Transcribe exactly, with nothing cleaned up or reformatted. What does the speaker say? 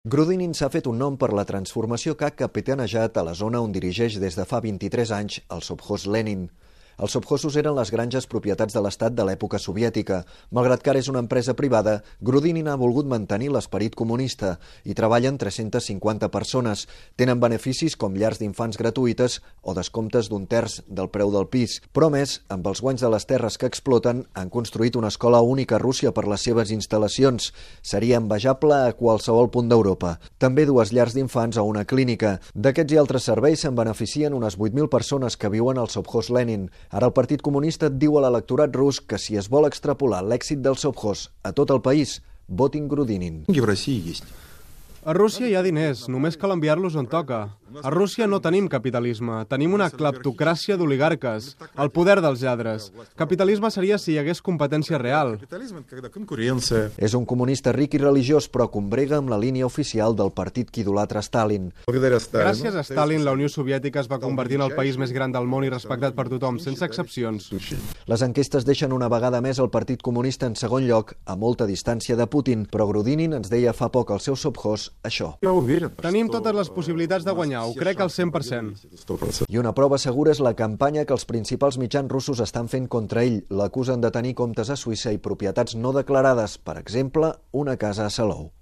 Grudinin s'ha fet un nom per la transformació que ha capitanejat a la zona on dirigeix des de fa vint-i-tres anys el sovkhoz Lenin. Els sovkhozos eren les granges propietats de l'estat de l'època soviètica. Malgrat que ara és una empresa privada, Grudinin ha volgut mantenir l'esperit comunista i treballen tres-centes cinquanta persones. Tenen beneficis com llars d'infants gratuïtes o descomptes d'un terç del preu del pis. Però, a més, amb els guanys de les terres que exploten, han construït una escola única a Rússia per les seves instal·lacions. Seria envejable a qualsevol punt d'Europa. També dues llars d'infants o una clínica. D'aquests i altres serveis se'n beneficien unes vuit mil persones que viuen al sovkhoz Lenin. Ara el Partit Comunista diu a l'electorat rus que si es vol extrapolar l'èxit del sovkhoz a tot el país, votin Grudinin. A Rússia hi ha diners, només cal enviar-los on toca. A Rússia no tenim capitalisme, tenim una cleptocràcia d'oligarques, el poder dels lladres. Capitalisme seria si hi hagués competència real. És un comunista ric i religiós, però combrega amb la línia oficial del partit que idolatra Stalin. Gràcies a Stalin, la Unió Soviètica es va convertir en el país més gran del món i respectat per tothom, sense excepcions. Les enquestes deixen una vegada més el Partit Comunista en segon lloc, a molta distància de Putin, però Grudinin ens deia fa poc al seu sovkhoz això. Tenim totes les possibilitats de guanyar, ho crec al cent per cent. I una prova segura és la campanya que els principals mitjans russos estan fent contra ell. L'acusen de tenir comptes a Suïssa i propietats no declarades, per exemple, una casa a Salou.